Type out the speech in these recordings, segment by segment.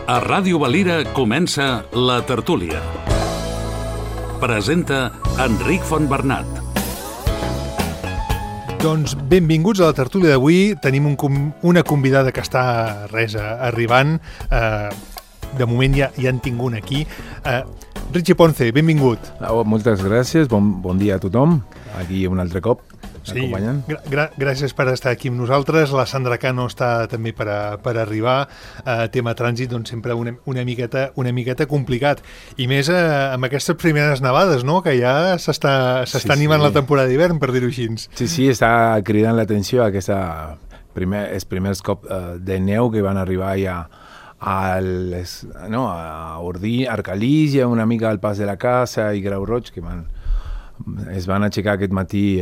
A Ràdio Valira comença La Tertúlia. Presenta Enric Fontbernat. Doncs benvinguts a la tertúlia d'avui. Tenim una convidada que està arribant. De moment ja en tinc una aquí. Richie Ponce, benvingut. Moltes gràcies, bon dia a tothom. Aquí un altre cop. Sí, gràcies per estar aquí amb nosaltres. La Sandra Cano està també per arribar. Tema trànsit, doncs sempre una miqueta complicat. I més amb aquestes primeres nevades, no? Que ja s'està animant la temporada d'hivern, per dir-ho així. Sí, està cridant l'atenció aquests primers cops de neu que van arribar ja a Ordí, Arcalís, una mica al Pas de la Casa i Grau Roig, que es van aixecar aquest matí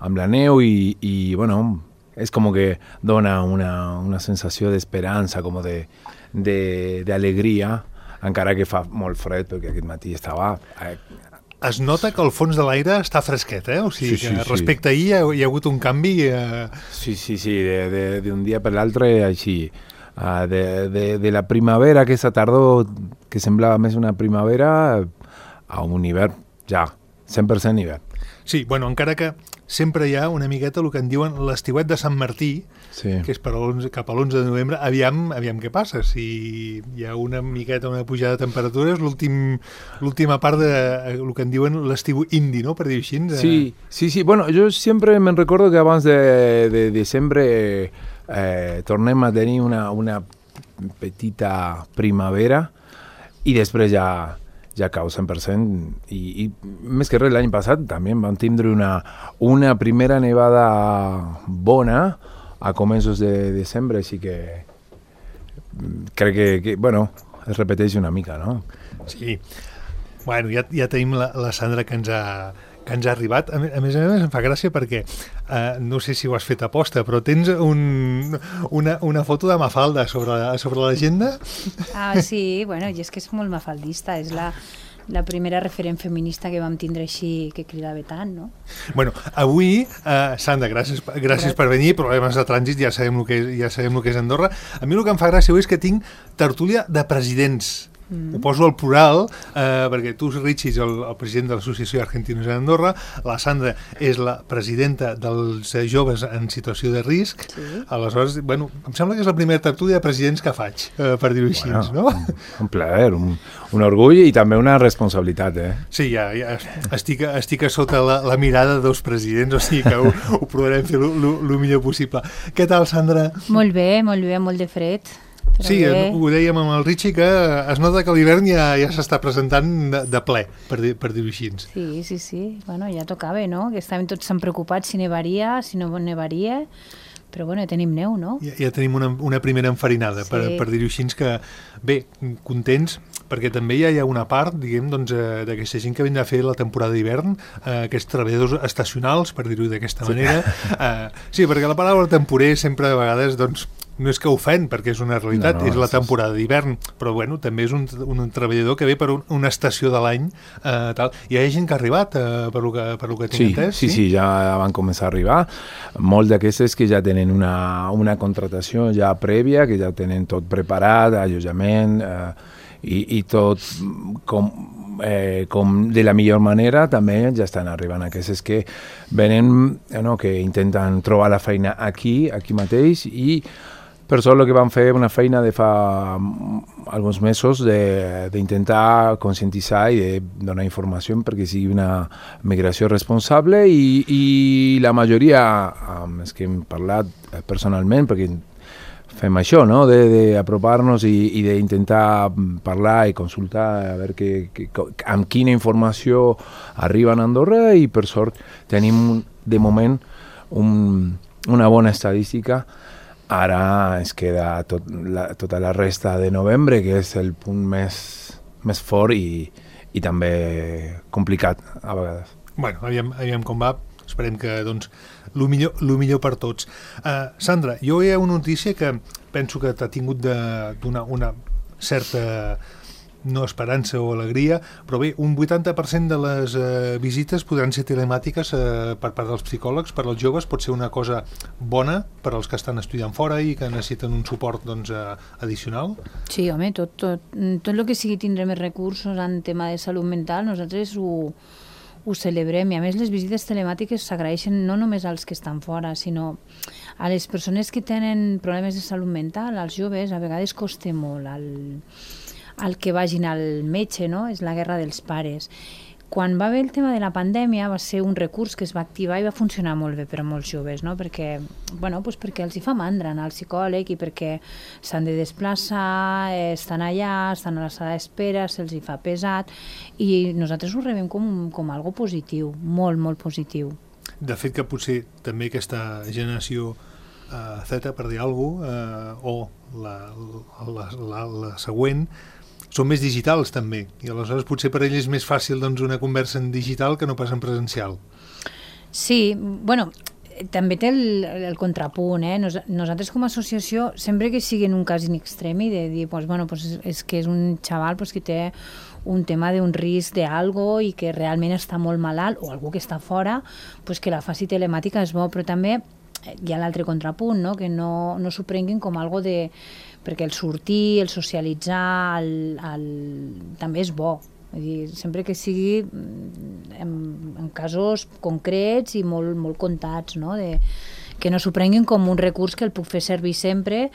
amb la neu i bueno, és com que dona una sensació d'esperança, com d'alegria, encara que fa molt fred, perquè aquest matí estava... Es nota que el fons de l'aire està fresquet, O sigui, sí, respecte a ahir hi ha hagut un canvi... Sí, d'un dia per l'altre, així. De la primavera, aquesta tardor, que semblava més una primavera, a un hivern, ja, 100% hivern. Sí, bueno, encara que sempre hi ha una miqueta el que en diuen l'estiuet de Sant Martí, que és cap a l'11 de novembre. Aviam què passa, si hi ha una miqueta, una pujada de temperatures, l'última part de el que en diuen l'estiu indi, no?, per dir-ho així. Sí, bueno, jo sempre me'n recordo que abans de desembre tornem a tenir una petita primavera i després ja cau 100%, i més que res l'any passat també vam tindre una primera nevada bona a començos de desembre, així que crec que bueno, es repeteix una mica, no? Sí, bueno, ja tenim la Sandra que ens ha arribat. A més em fa gràcia perquè no sé si ho has fet aposta, però tens una foto de Mafalda sobre l'agenda. Sí, bueno, i és que és molt mafaldista, és la primera referent feminista que vam tindre així, que cridava tant, no? Bueno, avui, Sandra, gràcies per venir. Problemes de trànsit, ja sabem el que és Andorra. A mi el que em fa gràcia avui és que tinc tertúlia de presidents. Ho poso al plural, perquè tu, Richie, ets el president de l'Associació Argentinos en Andorra, la Sandra és la presidenta dels joves en situació de risc. Sí. Aleshores, bueno, em sembla que és la primera tertúlia de presidents que faig, per dir-ho així, no? Un plaer, un orgull i també una responsabilitat, Sí, ja estic a sota la mirada dels presidents, o sigui que ho provarem fer el millor possible. Què tal, Sandra? Molt bé, molt de fred. Sí, ho dèiem amb el Richie, que es nota que l'hivern ja s'està presentant de ple, per dir-ho així. Sí. Bueno, ja tocava, no? Que estàvem tots tan preocupats si nevaria, si no nevaria, però bueno, ja tenim neu, no? Ja tenim una primera enfarinada, per dir-ho així, que bé, contents, perquè també ja hi ha una part, diguem, doncs, d'aquesta gent que vindrà a fer la temporada d'hivern, aquests treballadors estacionals, per dir-ho d'aquesta manera. Sí, perquè la paraula temporer sempre a vegades, doncs, no és que ofèn, perquè és una realitat, és la temporada d'hivern, però bueno, també és un treballador que ve per una estació de l'any, tal. Hi ha gent que ha arribat, per lo que tinc entès? Sí, ja van començar a arribar. Molts d'aquests que ja tenen una contratació ja prèvia, que ja tenen tot preparat, allotjament, i tot com de la millor manera. També ja estan arribant aquests que venen, que intenten trobar la feina aquí mateix, i per sort el que vam fer una feina de fa alguns mesos d'intentar conscientitzar i de donar informació perquè sigui una migració responsable, i la majoria és que hem parlat personalment, perquè fem això, no? D'apropar-nos i d'intentar parlar i consultar a veure amb quina informació arriba a Andorra, i per sort tenim de moment una bona estadística. Ara ens queda tota la resta de novembre, que és el punt més fort i també complicat a vegades. Bueno, aviam com va. Esperem que, doncs, el millor per tots. Sandra, jo hi ha una notícia que penso que t'ha tingut de donar una certa no esperança o alegria, però bé, un 80% de les visites podran ser telemàtiques per part dels psicòlegs, per als joves pot ser una cosa bona per als que estan estudiant fora i que necessiten un suport addicional? Sí, home, tot el que sigui tindre més recursos en tema de salut mental, nosaltres ho celebrem, i a més les visites telemàtiques s'agraeixen no només als que estan fora, sinó a les persones que tenen problemes de salut mental, als joves, a vegades costa molt al que vagin al metge, no? És la guerra dels pares. Quan va haver el tema de la pandèmia va ser un recurs que es va activar i va funcionar molt bé per a molts joves, no? Perquè els hi fa mandra anar al psicòleg i perquè s'han de desplaçar, estan allà, estan a la sala d'espera, se'ls hi fa pesat, i nosaltres ho rebem com algo positiu, molt, molt positiu. De fet que potser també aquesta generació Z, per dir alguna cosa, o la següent, són més digitals també, i aleshores potser per ell és més fàcil una conversa en digital que no pas en presencial. Sí, també té el contrapunt, Nosaltres com a associació, sempre que sigui en un cas in extremi, de dir, és que és un xaval que té un tema d'un risc d'algo i que realment està molt malalt, o algú que està fora, que la faci telemàtica és bo, però també hi ha l'altre contrapunt, que no s'ho prenguin com algo de... perquè el sortir, el socialitzar, també és bo. Vull dir, sempre que sigui en casos concrets i molt, molt comptats, que no s'ho prenguin com un recurs que el puc fer servir sempre,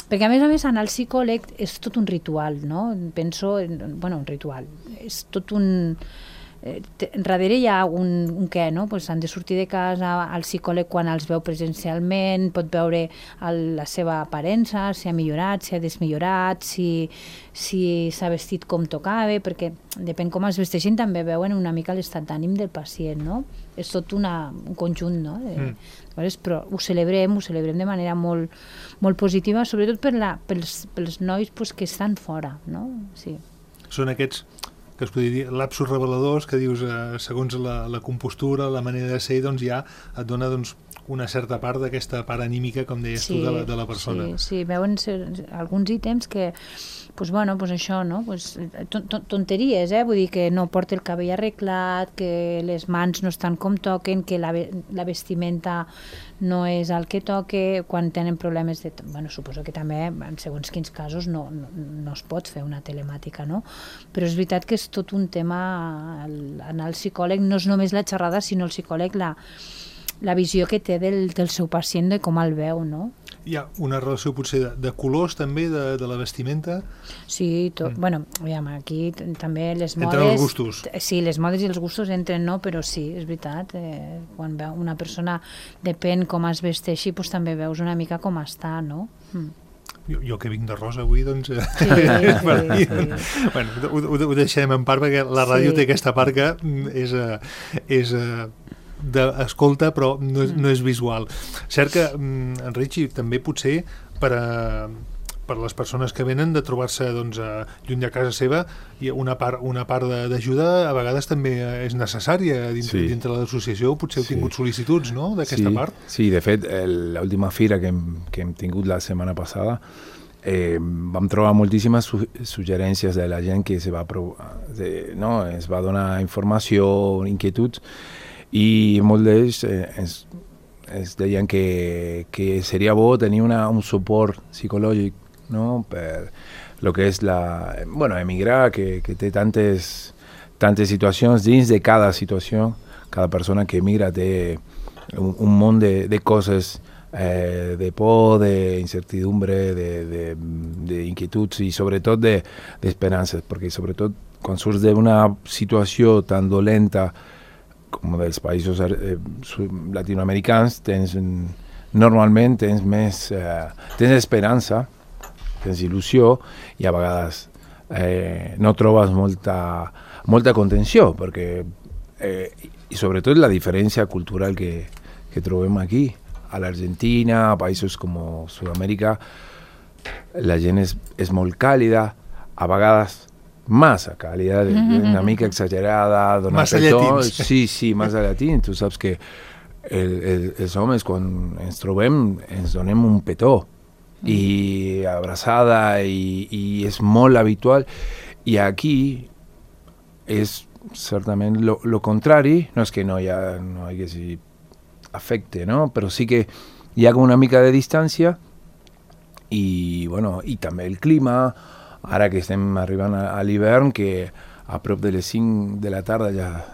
perquè a més anar al psicòleg és tot un ritual, no? Penso, un ritual, és tot un... Darrere hi ha un què, no? Han de sortir de casa al psicòleg quan els veu presencialment, pot veure la seva aparença, si ha millorat, si ha desmillorat, si s'ha vestit com tocava, perquè depèn com es vesteixin també veuen una mica l'estat d'ànim del pacient, no? És tot un conjunt, no? Però ho celebrem de manera molt, molt positiva, sobretot pels nois que estan fora, no? Sí. Són aquests que es podria dir lapsus reveladors, que dius, segons la compostura, la manera de ser, ja et dona una certa part d'aquesta part anímica, com deies tu, de la persona. Sí, veuen alguns ítems que, això, no? Tonteries, vull dir que no porta el cabell arreglat, que les mans no estan com toquen, que la vestimenta no és el que toque, quan tenen problemes de... suposo que també, en segons quins casos, no es pot fer una telemàtica, no? Però és veritat que és tot un tema, anar al psicòleg no és només la xerrada, sinó el psicòleg la visió que té del seu pacient, de com el veu, no? Hi ha una relació potser de colors també, de la vestimenta? Sí, aviam, aquí també les modes... Entren els gustos. Sí, les modes i els gustos entren, no? Però sí, és veritat, quan veu una persona, depèn com es vesteixi, també veus una mica com està, no? Jo que vinc de rosa avui, Sí. Bueno, ho deixem en part, perquè la ràdio té aquesta part que és d'escolta, però no és visual. Cert que, Enric, també potser per les persones que venen de trobar-se lluny de casa seva, i una part d'ajuda a vegades també és necessària dintre l'associació. Potser heu tingut sol·licituds, no?, d'aquesta part? Sí, de fet, l'última fira que hem tingut la setmana passada vam trobar moltíssimes suggerències de la gent que es va donar informació, inquietuds, i molts d'ells es deien que seria bo tenir un suport psicològic, no? Per lo que és emigrar, que té tantes situacions. Dins de cada situació, cada persona que emigra té un munt de coses, de por, d'incertidumbre, d'inquietuds i sobretot d'esperances, perquè sobretot quan surts d'una situació tan dolenta com dels països latinoamericans, normalment tens esperança, tens il·lusió, i a vegades no trobes molta contenció, perquè i sobretot la diferència cultural que trobem aquí, a l'Argentina, a països com Sud-amèrica, la gent és molt càlida, a vegades massa càlida, una mica exagerada, massa llatins. Sí, massa llatins. Tu saps que els homes, quan ens trobem, ens donem un petó i abraçada, i és molt habitual, I aquí és certament lo contrari, no és que no hi hagués afecte, no? Però sí que hi ha una mica de distància i, bueno, i també el clima, ara que estem arribant a l'hivern, que a prop de les 5 de la tarda ja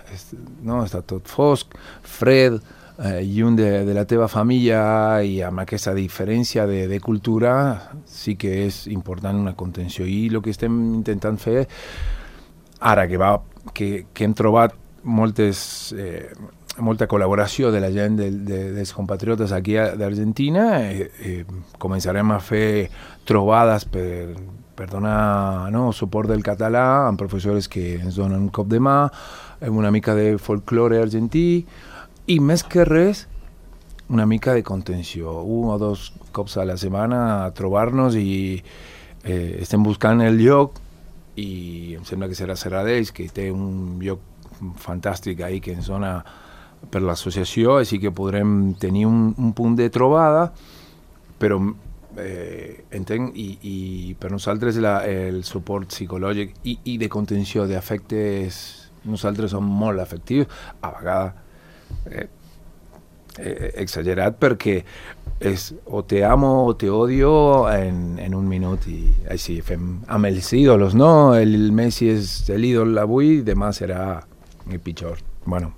està tot fosc, fred, lluny de la teva família, i amb aquesta diferència de cultura sí que és important una contenció. I el que estem intentant fer ara que hem trobat molta col·laboració de la gent dels compatriotes aquí d'Argentina, començarem a fer trobades per donar suport del català amb professors que ens donen un cop de mà, una mica de folklore argentí, i més que res una mica de contenció, 1 o 2 cops a la setmana a trobar-nos, i estem buscant el lloc, i em sembla que serà Serradell, que té un lloc fantàstic ahí que ens dona per l'associació, així que podrem tenir un punt de trobada, però entenc, i per nosaltres el suport psicològic i de contenció d'afectes, nosaltres som molt afectius, a vegades exagerat, perquè és o te amo o te odio en un minut, i així fem amb els ídolos, no? El Messi és l'ídol avui, demà serà el pitjor. Bueno,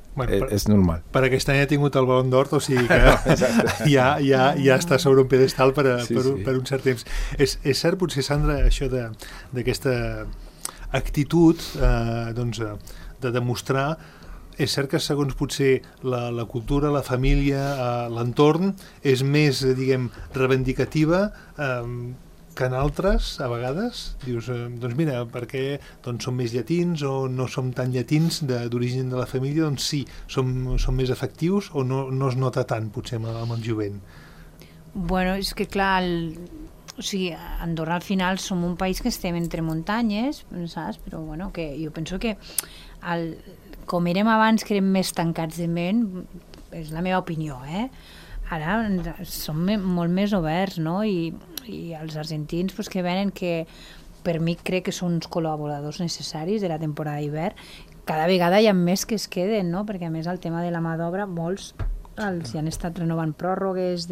és normal. Per aquest any ha tingut el Ballon d'Or, o sigui que ja està sobre un pedestal per un cert temps. És cert, potser, Sandra, això d'aquesta actitud de demostrar. És cert que segons potser la cultura, la família, l'entorn, és més, diguem, reivindicativa que en altres, a vegades. Dius, doncs mira, perquè som més llatins o no som tan llatins d'origen de la família, doncs sí, som més efectius, o no es nota tant, potser, amb el jovent? Bueno, és que clar, o sigui, Andorra al final som un país que estem entre muntanyes, saps? Però bueno, que jo penso que com érem abans, que érem més tancats de ment, és la meva opinió, ara som molt més oberts, no? I els argentins que venen, que per mi crec que són uns col·laboradors necessaris de la temporada d'hivern, cada vegada hi ha més que es queden, no? Perquè a més el tema de la mà d'obra, molts els hi han estat renovant pròrrogues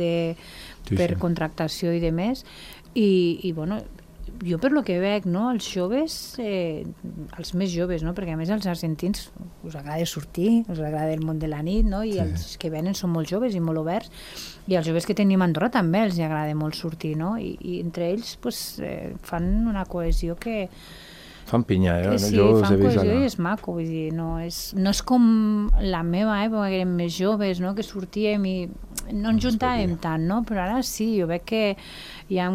per contractació i de més, i bueno, jo per lo que veig, no, els joves, els més joves, no, perquè a més els argentins us agrada sortir, us agrada el món de la nit, no, i els que venen són molt joves i molt oberts, i els joves que tenim a Andorra també els agrada molt sortir, no, i entre ells fan una cohesió que... Fan pinya, sí, fan cohesió i és maco, vull dir, no és com la meva època, que érem més joves, no, que sortíem i no ens juntàvem tant, no, però ara sí, jo veig que hi ha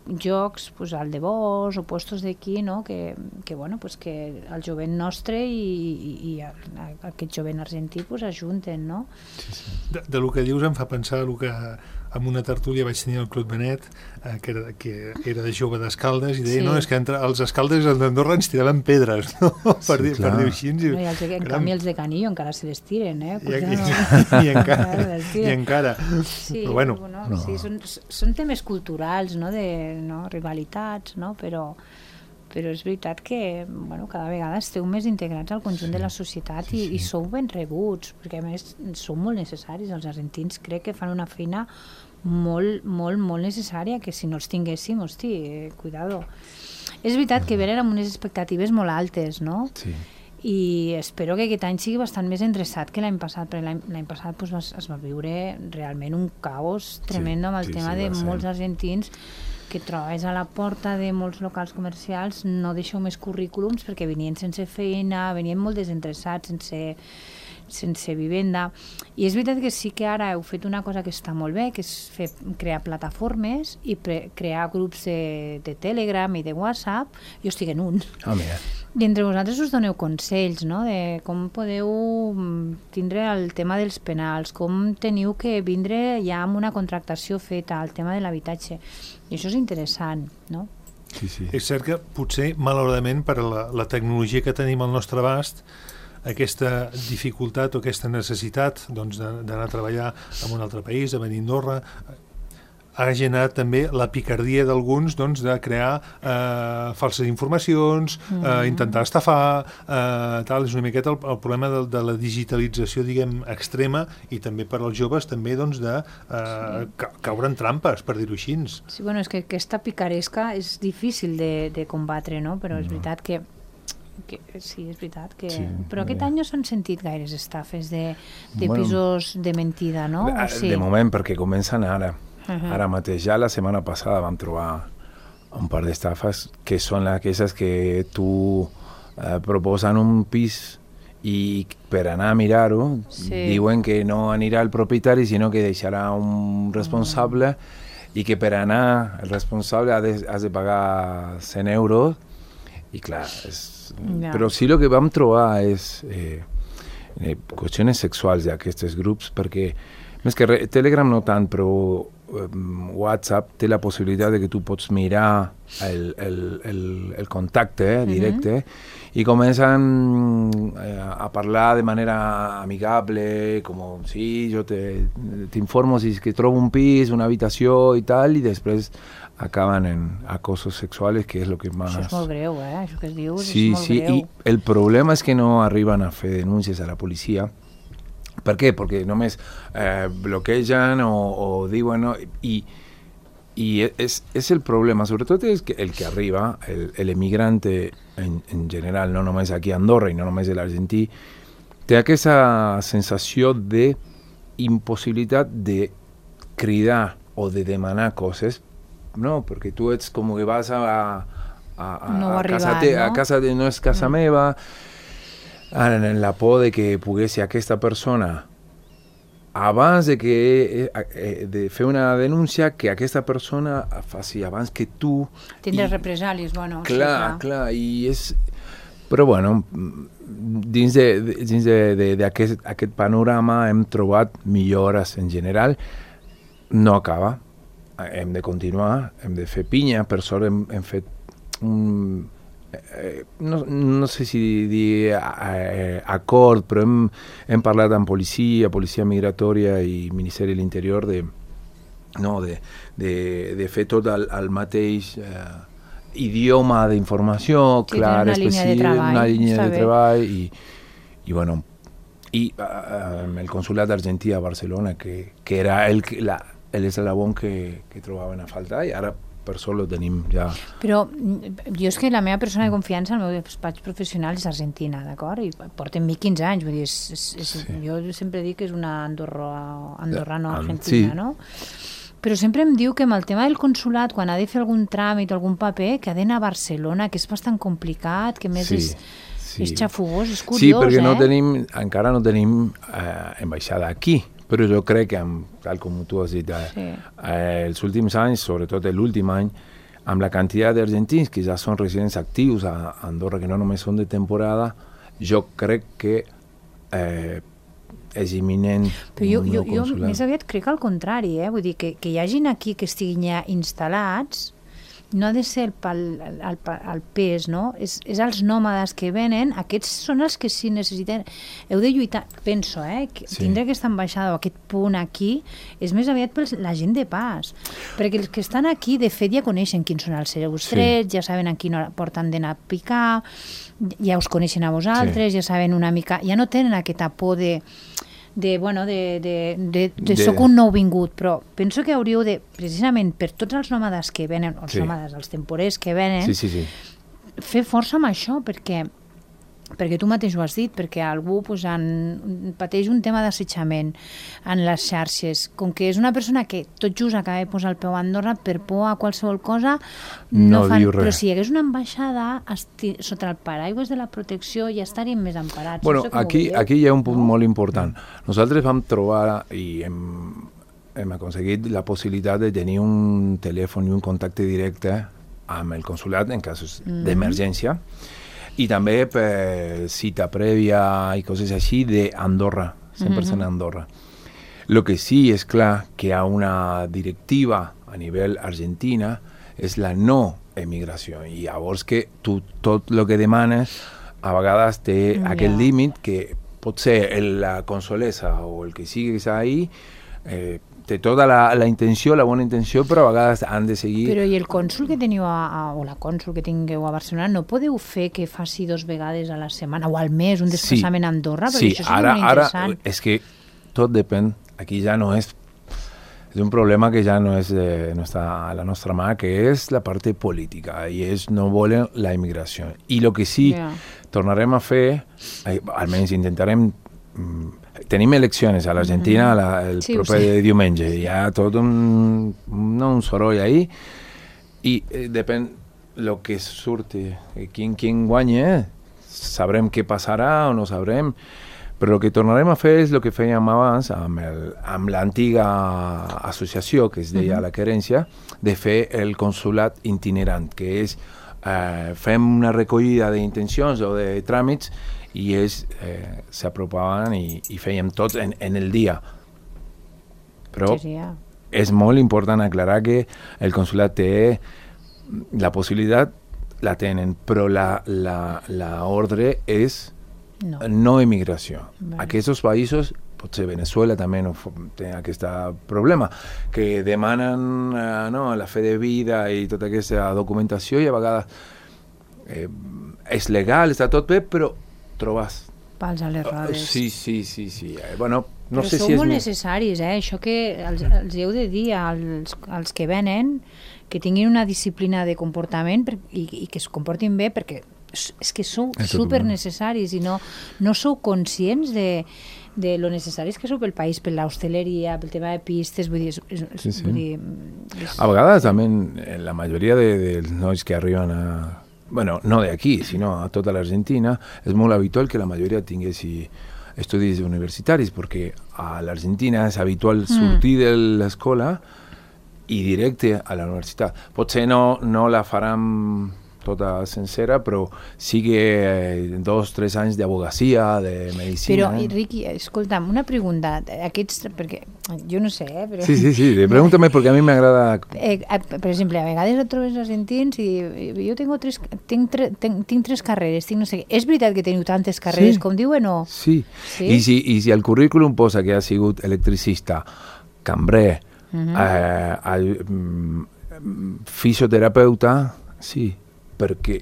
jocs, al de Bos o puestos d'aquí, no, que el jovent nostre i aquest jovent argentí ajunten, no? De lo que dius em fa pensar que en una tertúlia vaig tenir el Claude Benet, que era de jove d'Escaldes, i deia, no, és que entre els Escaldes i els d'Andorra ens tiraven pedres, no? Per dir-ho així. En canvi els de Canillo encara se les tiren, I encara. Sí, bueno, sí, són temes culturals, no, rivalitats, no, però és veritat que cada vegada esteu més integrats al conjunt de la societat i sou ben rebuts, perquè a més sou molt necessaris. Els argentins crec que fan una feina molt, molt, molt necessària, que si no els tinguéssim, hosti, cuidado. És veritat que venen amb unes expectatives molt altes, no? Sí. I espero que aquest any sigui bastant més endreçat que l'any passat, perquè l'any passat es va viure realment un caos tremendo amb el tema de molts argentins que trobes a la porta de molts locals comercials, no deixeu més currículums perquè venien sense feina, venien molt desendreçats, sense vivenda. I és veritat que sí que ara heu fet una cosa que està molt bé, que és crear plataformes i crear grups de Telegram i de WhatsApp. Jo estic en un. I entre vosaltres us doneu consells, no?, de com podeu tindre el tema dels penals, com teniu que vindre ja amb una contractació feta, el tema de l'habitatge. I això és interessant, no? Sí. És cert que potser, malauradament, per la tecnologia que tenim al nostre abast, aquesta dificultat o aquesta necessitat d'anar a treballar en un altre país, de venir a Andorra, ha generat també la picardia d'alguns doncs, de crear falses informacions, intentar estafar, tal. És una miqueta el problema de la digitalització, diguem, extrema, i també per als joves també doncs, de caure en trampes, per dir-ho així. Sí, bueno, és que aquesta picaresca és difícil de combatre, no? Però és veritat que sí, és veritat que... Sí, però aquest any no s'han sentit gaires estafes de pisos de mentida, no? Sí. De moment, perquè comencen ara. Ara mateix, ja la setmana passada vam trobar un par d'estafes que són aquestes que tu proposen un pis i per anar a mirar-ho diuen que no anirà el propietari, sinó que deixarà un responsable i que per anar el responsable has de pagar 100 euros i clar, però sí el que vam trobar és qüestions sexuals d'aquests grups, perquè més que Telegram no tant, però WhatsApp té la possibilitat de que tu pots mirar el contacte directe i comencen a parlar de manera amigable, com sí, jo t'informo si que trobo un pis, una habitació i tal, i després acaben en acosos sexuals, que és el que més... Això és molt greu, això que es diu, sí, és molt greu. I el problema és que no arriben a fer denúncies a la policia. Per què? Perquè només bloquegen o diuen... No? I és el problema, sobretot és que el que arriba, l'emigrante en general, no només aquí a Andorra i no només a l'Argentí, té aquesta sensació d'impossibilitat de cridar o de demanar coses, no, perquè tu ets com que vas a casa no és casa meva, en la por de que pogués ser aquesta persona abans de fer una denúncia, que aquesta persona faci abans que tu. Tindràs represàlies, bueno. Clar, i és... Però bueno, dins d'aquest panorama hem trobat millores en general. No acaba. Hem de continuar, hem de fer pinya. Per sort hem fet no sé si dir acord, però hem parlat amb policia migratòria i Ministeri de l'Interior de fer tot el mateix idioma d'informació, clar, específic, una línia de treball i bueno, i el consulat argentí a Barcelona, que era l'eslabon que trobaven a faltar, i ara per sort ho tenim ja. Però jo és que la meva persona de confiança, el meu despatx professional és argentina, d'acord? I porten 15 anys, vull dir, jo sempre dic que és una andorrano-argentina, no? Però sempre em diu que amb el tema del consulat, quan ha de fer algun tràmit o algun paper, que ha d'anar a Barcelona, que és bastant complicat, que més és xafugós, és curiós, Sí, perquè encara no tenim ambaixada aquí. Però jo crec que, tal com tu has dit, els últims anys, sobretot l'últim any, amb la quantitat d'argentins que ja són residents actius a Andorra, que no només són de temporada, jo crec que és imminent un nou consulat. Jo més aviat crec al contrari, vull dir que hi hagin aquí que estiguin ja instal·lats, no ha de ser el pes, no? És els nòmades que venen, aquests són els que sí necessiten. Heu de lluitar, penso, tindre aquesta ambaixada o aquest punt aquí és més aviat per la gent de pas, perquè els que estan aquí de fet ja coneixen quins són els seus trets, ja saben a quina hora porten d'anar a picar, ja us coneixen a vosaltres, ja saben una mica, ja no tenen aquesta por de soc un nouvingut, però penso que hauríeu de, precisament per tots els nòmades que venen, nòmades, els temporers que venen, fer força amb això, perquè tu mateix ho has dit, perquè algú pateix un tema d'assetjament en les xarxes, com que és una persona que tot just acaba de posar el peu a Andorra, per por a qualsevol cosa no fan, però si hi hagués una ambaixada sota el paraigües de la protecció ja estaríem més emparats. Bueno, aquí hi ha un punt molt important. Nosaltres vam trobar i hem aconseguit la possibilitat de tenir un telèfon i un contacte directe amb el consulat en casos d'emergència, i també per cita prèvia i coses així d'Andorra, 100% Andorra. El que sí és clar que hi ha una directiva a nivell argentina, és la no emigració, i llavors que tu tot el que demanes a vegades té aquest límit que pot ser la consolesa o el que siguis ahí té tota la intenció, la bona intenció, però a vegades han de seguir... Però i el cònsul que teniu, o la cònsul que tingueu a Barcelona, no podeu fer que faci 2 vegades a la setmana o al mes un desplaçament a Andorra? Perquè això seria molt interessant. Ara és que tot depèn, aquí ja no és un problema que ja no és a la nostra mà, que és la part política, i ells no volen la immigració. I el que sí tornarem a fer, almenys intentarem... Tenim eleccions a l'Argentina el proper diumenge. Hi ha tot un soroll ahí i depèn el que surti. Qui guanya, sabrem què passarà o no sabrem, però el que tornarem a fer és el que fèiem abans amb l'antiga associació que es deia la Querència, de fer el consulat itinerant, que és fem una recollida d'intencions o de tràmits i ells s'apropaven i fèiem tots en el dia. Però és molt important aclarar que el consulat té la possibilitat, la tenen, però l'ordre és no immigració. Aquests països, potser Venezuela també no té aquest problema, que demanen la fe de vida i tota aquesta documentació i a vegades és legal, està tot bé, però trobes pals a les rodes. Sí. Bueno, no però sé sou si és molt necessaris, això que els heu de dir als que venen, que tinguin una disciplina de comportament i que es comportin bé, perquè és que sou super necessaris i no sou conscients de lo necessaris que sou pel país, per l'hostaleria, pel tema de pistes, vull dir... A vegades també la majoria dels nois que arriben bueno, no de aquí, sinó a tota l'Argentina, és molt habitual que la majoria tinguessi estudis universitaris, perquè a l'Argentina és habitual sortir de l'escola i directe a la universitat. Potser no la faran tota sencera, però sí que 2 o 3 anys d'advocacia, de medicina... Però, Riqui, escolta'm, una pregunta. Perquè jo no sé, però... Sí, pregúntame, perquè a mi m'agrada... Per exemple, a vegades et trobes argentins i jo tinc 3 carreres, tinc no sé què. És veritat que teniu tantes carreres com diuen o...? Sí. I si al currículum posa que ha sigut electricista, cambrer, fisioterapeuta, sí, perquè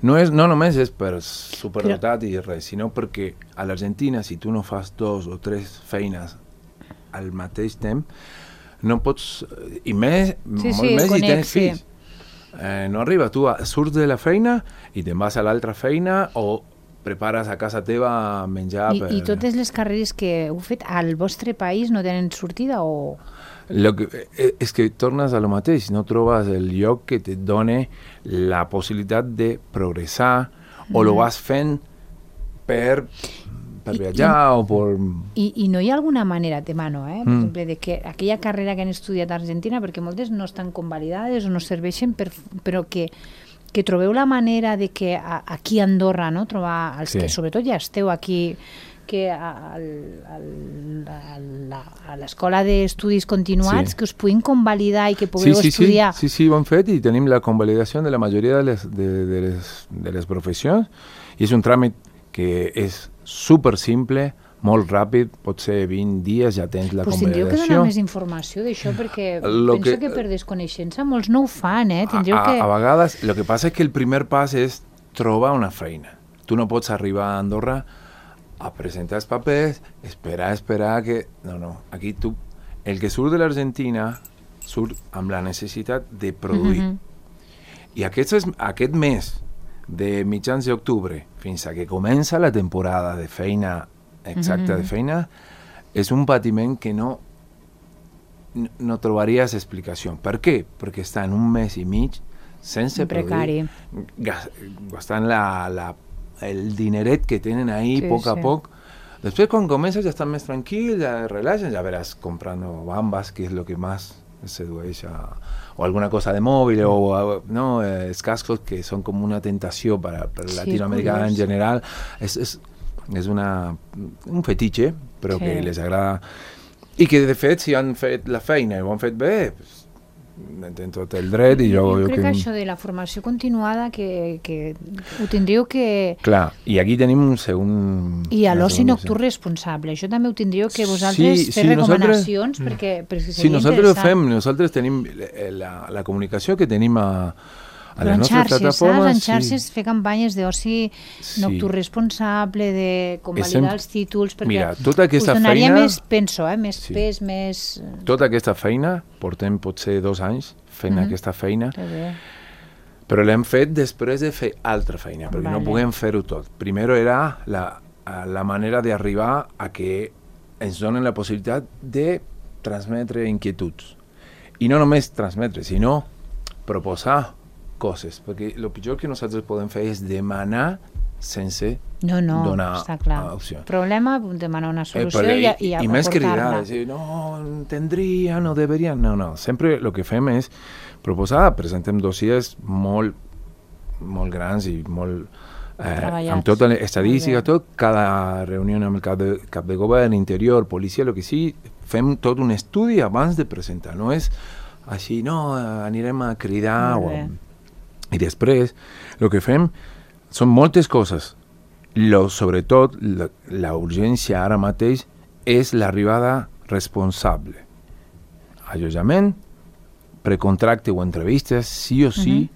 no només és per superdotat i res, sinó perquè a l'Argentina, si tu no fas 2 o 3 feines al mateix temps, no pots... I més, molt més si tens fills. No arriba, tu surts de la feina i te'n vas a l'altra feina o prepares a casa teva menjar... I totes les carreres que heu fet al vostre país no tenen sortida o...? És que tornes a lo mateix, no trobes el lloc que te doni la possibilitat de progressar o lo vas fent per viatjar o per... I no hi ha alguna manera, per exemple, de que aquella carrera que han estudiat a Argentina, perquè moltes no estan convalidades o no serveixen, però que trobeu la manera de que aquí a Andorra, no, trobar els que sobretot ja esteu aquí, que a l'escola d'estudis continuats que us puguin convalidar i que pugueu estudiar. Sí, ho hem fet i tenim la convalidació de la majoria de les professions i és un tràmit que és super simple, molt ràpid, pot ser 20 dies ja tens la convalidació. Tindríeu que donar més informació d'això perquè penso que per desconeixença molts no ho fan, A vegades, el que passa és que el primer pas és trobar una feina. Tu no pots arribar a Andorra a presentar els papers, esperar que... No, aquí tu... El que surt de l'Argentina surt amb la necessitat de produir. I aquest mes de mitjans d'octubre fins a que comença la temporada de feina exacta de feina és un patiment que no trobaries explicació. Per què? Perquè estan un mes i mig sense produir, gastant el dineret que tenen ahí poc a poc. Després, quan comences, ja estan més tranquils, ja relaxen, ja veràs comprando bambas, que és el que més sedueix o alguna cosa de mòbil o els cascos que són com una tentació per latinoamericana en general. És un fetitxe, però que les agrada i que de fet si han fet la feina i ho han fet bé, tenen tot el dret i jo crec que això de la formació continuada que ho tindríeu que... Clar, i aquí tenim un segon... I a l'oci nocturn responsable, això també ho tindríeu que vosaltres fer recomanacions perquè seria nosaltres interessant. Ho fem, nosaltres tenim la comunicació que tenim a però les nostres plataformes. En xarxes fer campanyes d'oci nocturn responsable, de convalidar els títols, perquè mira, tota aquesta us donaria feina, més, penso, més pes, més... Tota aquesta feina, portem potser 2 anys fent aquesta feina, però l'hem fet després de fer altra feina, perquè no puguem fer-ho tot. Primer era la manera d'arribar a que ens donen la possibilitat de transmetre inquietuds. I no només transmetre, sinó proposar coses, perquè el pitjor que nosaltres podem fer és demanar sense donar opció. Problema, demanar una solució i més cridar, dir, no, entendria, no deberia, no. Sempre el que fem és proposar, presentem dossiers molt grans i molt amb tota l'estadística, cada reunió amb el cap de govern, interior, policia, el que sigui, fem tot un estudi abans de presentar, no és així, no, anirem a cridar i després el que fem són moltes coses. Sobretot la urgència ara mateix és l'arribada responsable. Allotjament, precontracte o entrevistes, sí o sí,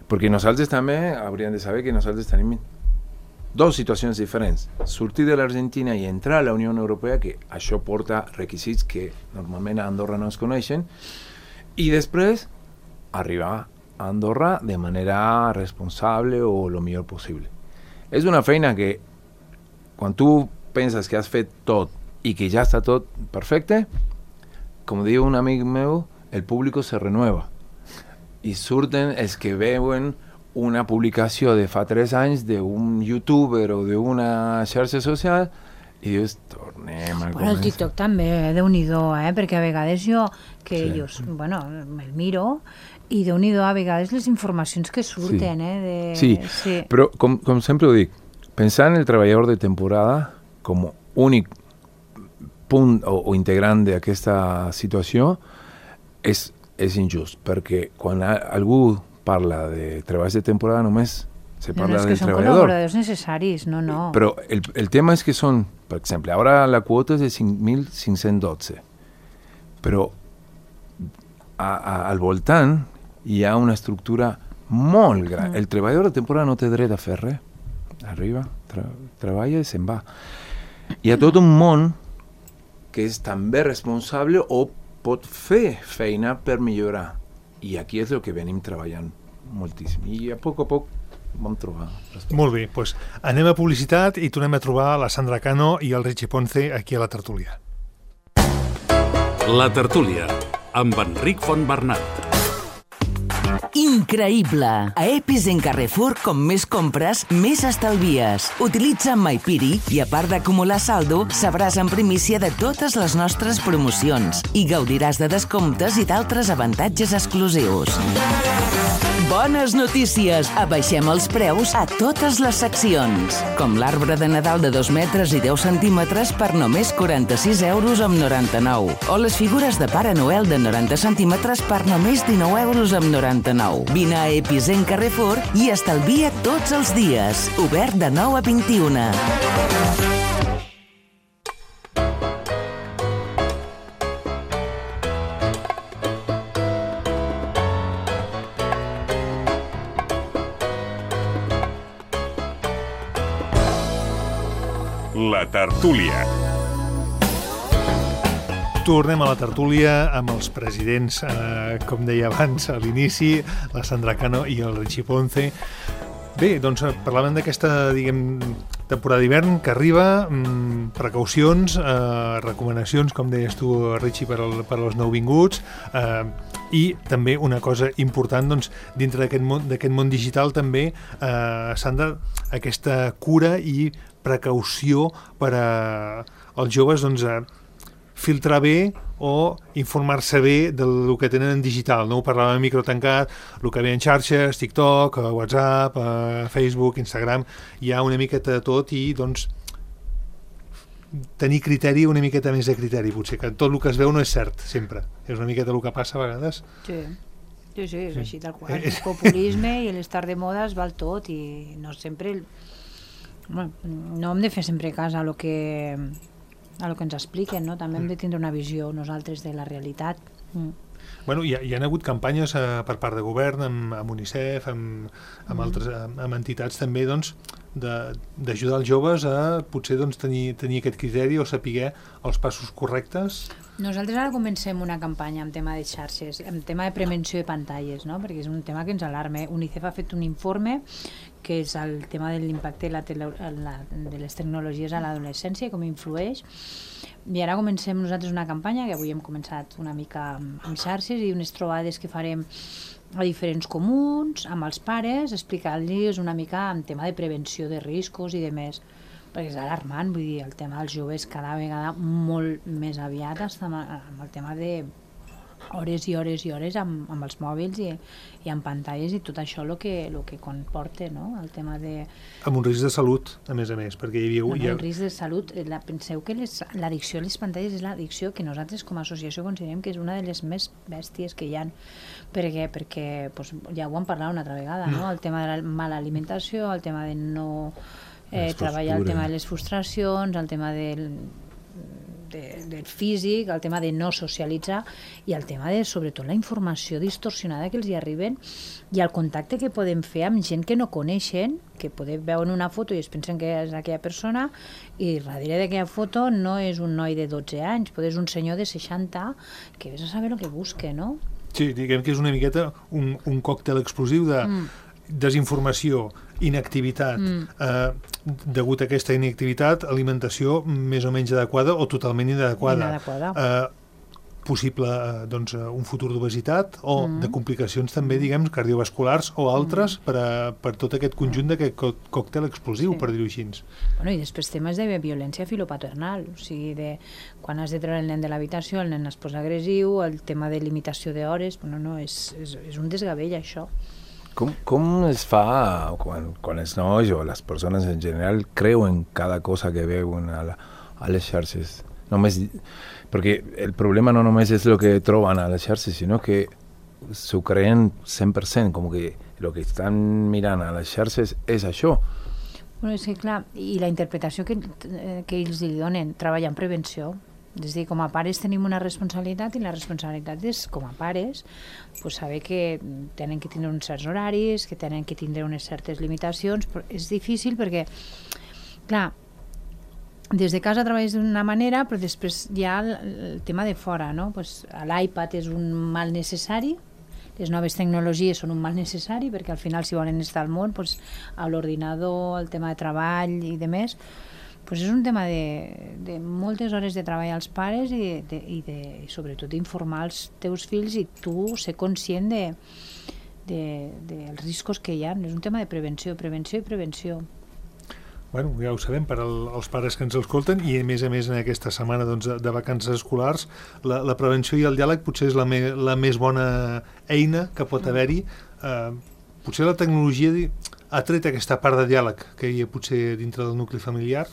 perquè nosaltres també hauríem de saber que nosaltres tenim 2 situacions diferents. Sortir de l'Argentina i entrar a la Unió Europea, que això porta requisits que normalment a Andorra no es coneixen, i després arribar a Andorra de manera responsable o lo millor possible. És una feina que quan tu penses que has fet tot i que ja està tot perfecte, com diu un amic meu, el públic se renueva i surten els que veuen una publicació de fa 3 anys d'un youtuber o d'una xarxa social i dius, tornem a començar. El TikTok també, Déu-n'hi-do, perquè a vegades jo, me'l miro i Déu-n'hi-do a vegades les informacions que surten. Sí, però com sempre ho dic, pensar en el treballador de temporada com únic punt o integrant d'aquesta situació és injust, perquè quan algú parla de treballs de temporada només se parla del treballador. No, és que són col·laboradors necessaris, no. Però el tema és que són, per exemple, ara la quota és de 5.512, però al voltant hi ha una estructura molt gran. El treballador de temporada no té dret a fer res. Arriba, treballa i se'n va. Hi ha tot un món que és també responsable o pot fer feina per millorar. I aquí és el que venim treballant moltíssim. I a poc vam trobar. Molt bé, doncs anem a publicitat i tornem a trobar la Sandra Cano i el Richie Ponce aquí a la tertúlia. La tertúlia, amb Enric Fontbernat. Increïble! A Epis en Carrefour, com més compres, més estalvies. Utilitza MyPiri i, a part d'acumular saldo, sabràs en primícia de totes les nostres promocions i gaudiràs de descomptes i d'altres avantatges exclusius. Bones notícies! Abaixem els preus a totes les seccions. Com l'arbre de Nadal de 2 metres i 10 centímetres per només 46,99 €. O les figures de Pare Noel de 90 centímetres per només 19,99 €. Vine a Episen Carrefour i estalvia tots els dies. Obert de 9 a 21. La tertúlia. Tornem a la tertúlia amb els presidents, com deia abans a l'inici, la Sandra Cano i el Richie Ponce. Bé, doncs parlàvem d'aquesta, temporada d'hivern que arriba, precaucions, recomanacions, com deies tu, Richie, per als nouvinguts, i també una cosa important, doncs, dintre d'aquest món digital també, Sandra, aquesta cura i precaució per als joves, doncs, filtrar bé o informar-se bé del que tenen en digital, no? Ho parlàvem en micro tancat, el que ve en xarxes, TikTok, WhatsApp, Facebook, Instagram, hi ha una miqueta de tot i, doncs, tenir criteri, una miqueta més de criteri, potser, que tot el que es veu no és cert, sempre. És una miqueta el que passa a vegades. Sí, és així, tal qual. El populisme i l'estar de moda es val tot i no sempre... Bueno, no hem de fer sempre cas a lo que ens expliquen, no? També hem de tindre una visió nosaltres de la realitat. Bueno, hi ha hagut campanyes per part de govern, amb UNICEF, amb altres amb entitats també, doncs, d'ajudar els joves a potser doncs, tenir aquest criteri o saber els passos correctes. Nosaltres ara comencem una campanya en tema de xarxes, en tema de prevenció de pantalles, no? Perquè és un tema que ens alarma. UNICEF ha fet un informe que és el tema de l'impacte de les tecnologies a l'adolescència i com influeix. I ara comencem nosaltres una campanya que avui hem començat una mica amb xarxes i unes trobades que farem a diferents comuns, amb els pares, explicant-los una mica en tema de prevenció de riscos i de més. Perquè és alarmant, vull dir, el tema dels joves cada vegada molt més aviat està amb el tema de hores i hores i hores amb els mòbils i amb pantalles i tot això el que comporta, no? El tema de... Amb un risc de salut, a més, perquè hi havia... Un risc de salut. Penseu que l'addicció a les pantalles és l'addicció que nosaltres com a associació considerem que és una de les més bèsties que hi ha. Perquè doncs, ja ho hem parlat una altra vegada, no? El tema de la mala alimentació, el tema de no... treballar el tema de les frustracions, el tema del físic, el tema de no socialitzar i el tema de, sobretot, la informació distorsionada que els hi arriben i el contacte que podem fer amb gent que no coneixen, que podem veure una foto i es pensen que és aquella persona i darrere d'aquella foto no és un noi de 12 anys, pot ser un senyor de 60 que vés a saber el que busca, no? Sí, diguem que és una miqueta un còctel explosiu de desinformació, inactivitat, degut a aquesta inactivitat, alimentació més o menys adequada o totalment inadequada. Possible doncs, un futur d'obesitat o de complicacions també, diguem, cardiovasculars o altres per tot aquest conjunt d'aquest còctel explosiu, per dir-ho així. Bueno, i després temes de violència filopaternal, o sigui, quan has de treure el nen de l'habitació, el nen es posa agressiu, el tema de limitació d'hores, no, és un desgavell, això. Com es fa quan els nois o les persones en general creuen cada cosa que veuen a les xarxes? Perquè el problema no només és el que troben a les xarxes, sinó que s'ho creen 100%, com que el que estan mirant a les xarxes és això. Bueno, és que clar, i la interpretació que ells li donen, treballar en prevenció, és a dir, com a pares tenim una responsabilitat i la responsabilitat és, com a pares, pues, saber que tenen que tindre uns certs horaris, que tenen que tindre unes certes limitacions, però és difícil perquè, clar, des de casa treballes d'una manera, però després hi ha el tema de fora, no? Pues, l'iPad és un mal necessari, les noves tecnologies són un mal necessari, perquè al final si volen estar al món, pues, a l'ordinador, el tema de treball i de més, pues és un tema de moltes hores de treball als pares i sobretot d'informar els teus fills i tu ser conscient dels riscos que hi ha. És un tema de prevenció. Bueno, ja ho sabem, per als pares que ens escolten i a més en aquesta setmana doncs, de vacances escolars, la prevenció i el diàleg potser és la més bona eina que pot haver-hi. Potser la tecnologia ha tret aquesta part de diàleg que hi ha potser dintre del nucli familiar.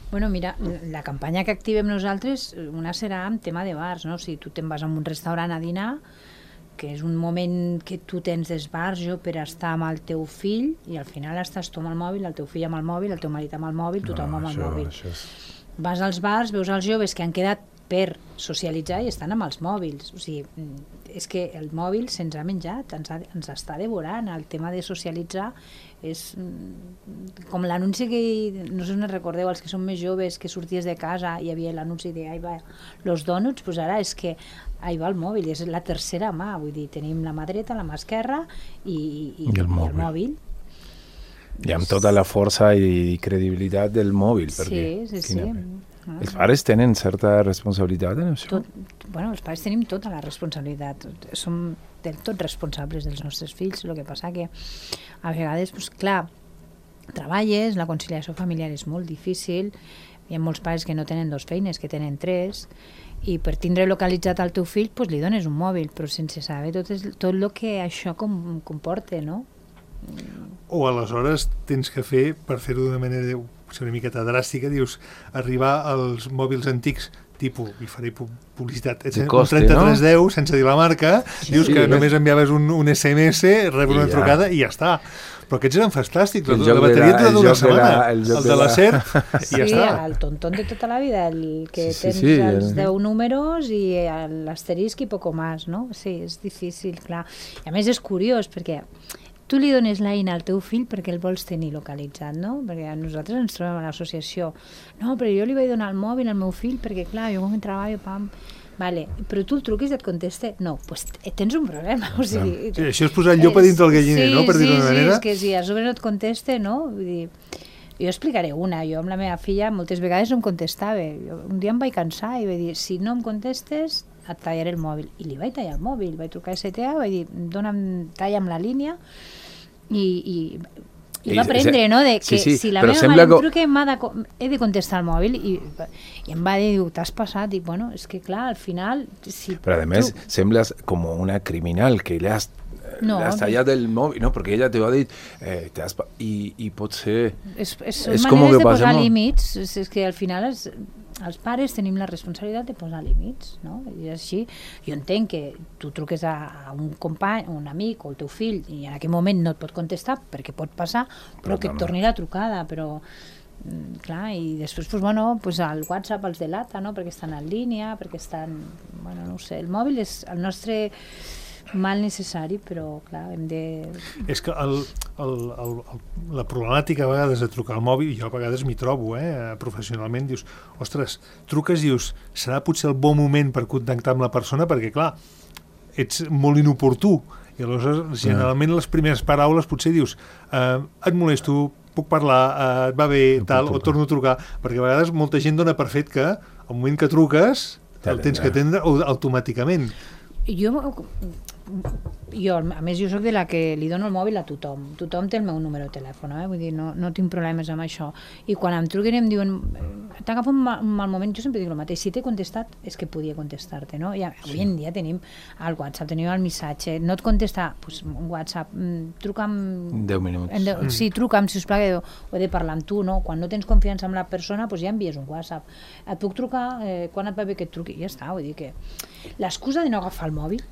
Bueno, mira, la campanya que activem nosaltres, una serà en tema de bars, no? Si tu te'n vas a un restaurant a dinar, que és un moment que tu tens d'esbarjo per estar amb el teu fill i al final estàs tu amb el mòbil, el teu fill amb el mòbil, el teu marit amb el mòbil, tothom amb el mòbil. Vas als bars, veus els joves que han quedat per socialitzar i estan amb els mòbils. O sigui, és que el mòbil se'ns ha menjat, ens està devorant. El tema de socialitzar és com l'anunci que, no sé si us recordeu, els que són més joves, que sorties de casa i hi havia l'anunci de "Ahí va los donuts", doncs ara és que ahí va el mòbil, és la tercera mà, vull dir, tenim la mà dreta, la mà esquerra i el mòbil. I amb tota la força i credibilitat del mòbil. Sí. Els pares tenen certa responsabilitat en això? Bueno, els pares tenim tota la responsabilitat. Som del tot responsables dels nostres fills. El que passa que a vegades, doncs, clar, treballes, la conciliació familiar és molt difícil, hi ha molts pares que no tenen 2 feines, que tenen 3, i per tindre localitzat el teu fill doncs li dones un mòbil, però sense saber tot el que això comporta, no? O aleshores tens que fer, per fer-ho d'una manera una miqueta dràstica, dius, arribar als mòbils antics tipus, i faré publicitat, coste, 3310, no? Sense dir la marca, dius que només enviaves un SMS, rebre una trucada i ja està. Però aquests eren fantàstics, la bateria et dura una setmana, el de la SER, i ja està. Sí, el tontón de tota la vida, el que tens els 10 números i l'asterisc i poco más, no? Sí, és difícil, clar. I a més és curiós, perquè tu li dones l'eina al teu fill perquè el vols tenir localitzat, no? Perquè nosaltres ens trobem a l'associació. No, però jo li vaig donar el mòbil al meu fill perquè, clar, jo quan treballo, pam... Vale, però tu el truquis i et contesta? No, doncs tens un problema. O sigui, sí, això és posar el llop a dins del galliner, no? Per dir-ho d'una manera. Sí, és que si a sobre no et contesta, no? Vull dir, jo explicaré una. Jo amb la meva filla moltes vegades no em contestava. Un dia em vaig cansar i vaig dir, si no em contestes, et tallaré el mòbil. I li vaig tallar el mòbil, vaig trucar a STA, vaig dir, talla'm la línia i va aprendre, no?, de que si la meva mare em truca he de contestar el mòbil i em va dir, t'has passat, i bueno, és que clar, al final... Però a més, sembles com una criminal que le has tallat el mòbil, no, perquè ella te va dir i pot ser... Són maneres de posar límits, és que al final els pares tenim la responsabilitat de posar límits, no? I així, jo entenc que tu truques a un company, un amic o el teu fill i en aquell moment no et pot contestar perquè pot passar, però que et torni la trucada, però clar, i després pues el WhatsApp els delata, no? Perquè estan en línia, perquè estan, bueno, no ho sé, el mòbil és el nostre mal necessari, però clar, hem de... És que la problemàtica a vegades de trucar al mòbil, jo a vegades m'hi trobo, professionalment, dius, ostres, truques i dius, serà potser el bon moment per contactar amb la persona, perquè clar, ets molt inoportú, i aleshores generalment les primeres paraules potser dius, et molesto, puc parlar, et va bé, tal, o torno a trucar, perquè a vegades molta gent dona per fet que al moment que truques el tens que atendre automàticament. Jo, a més, jo soc de la que li dono el mòbil a tothom. Tothom té el meu número de telèfon, vull dir, no tinc problemes amb això. I quan em truquen i em diuen t'agafa un mal moment, jo sempre dic el mateix. Si t'he contestat, és que podia contestar-te, no? I avui en dia tenim el WhatsApp, tenim el missatge. No et contesta, doncs un WhatsApp, truca'm... 10 minuts. Sí, truca'm, sisplau, ho he de parlar amb tu, no? Quan no tens confiança amb la persona, doncs ja envies un WhatsApp. Et puc trucar quan et va bé que et truqui? Ja està, vull dir que... L'excusa de no agafar el mòbil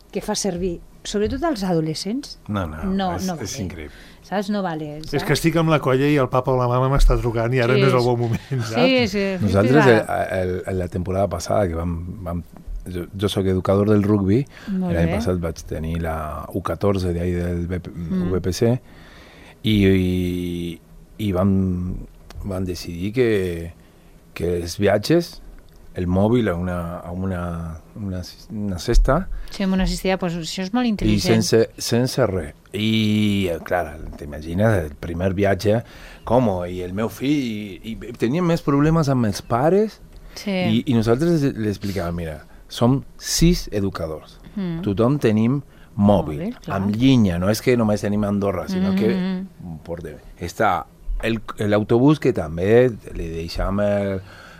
que fa servir, sobretot als adolescents, no vale. És increïble. Saps? No vale. Saps? És que estic amb la colla i el papa o la mama m'està trucant i ara no és el bon moment, saps? Sí. Nosaltres, la temporada passada, que vam jo soc educador del rugby, l'any passat vaig tenir la U14 d'ahí del VPC i vam decidir que els viatges, el mòbil a una cesta. Sí, amb una cistella, doncs això és molt intel·ligent. I sense res. I, clar, t'imagines el primer viatge, com, i el meu fill, i teníem més problemes amb els pares, i nosaltres li explicàvem, mira, som 6 educadors. Tothom tenim mòbil, amb línia, no és que només tenim a Andorra, sinó que està l'autobús que també li deixam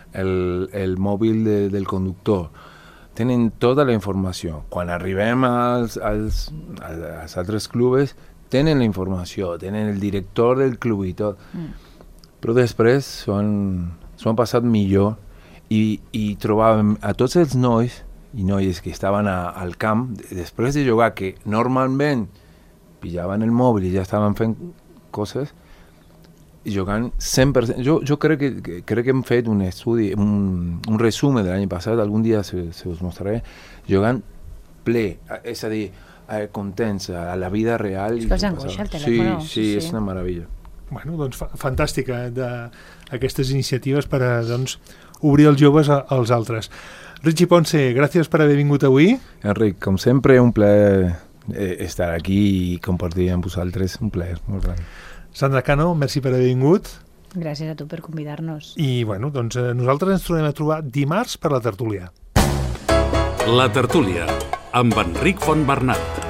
el mòbil del conductor. Tenen tota la informació. Quan arribem als altres clubs, tenen la informació, tenen el director del club i tot. Però després s'ho han passat millor i trobàvem a tots els nois i noies que estaven al camp, després de jugar, que normalment pillaven el mòbil i ja estaven fent coses, jugant 100%. Jo crec que hem fet un estudi, un resum de l'any passat, algun dia se us mostraré, jugant ple, és a dir, contents a la vida real. És que els angoixa el telèfon. Sí, és una meravella. Bueno, doncs fantàstica aquestes iniciatives per a obrir els joves als altres. Richie Ponce, gràcies per haver vingut avui. Enric, com sempre, un plaer estar aquí i compartir amb vosaltres, un plaer molt gran. Sandra Cano, merci per haver vingut. Gràcies a tu per convidar-nos. I bueno, doncs nosaltres ens tornem a trobar dimarts per la tertúlia. La tertúlia, amb Enric Fontbernat.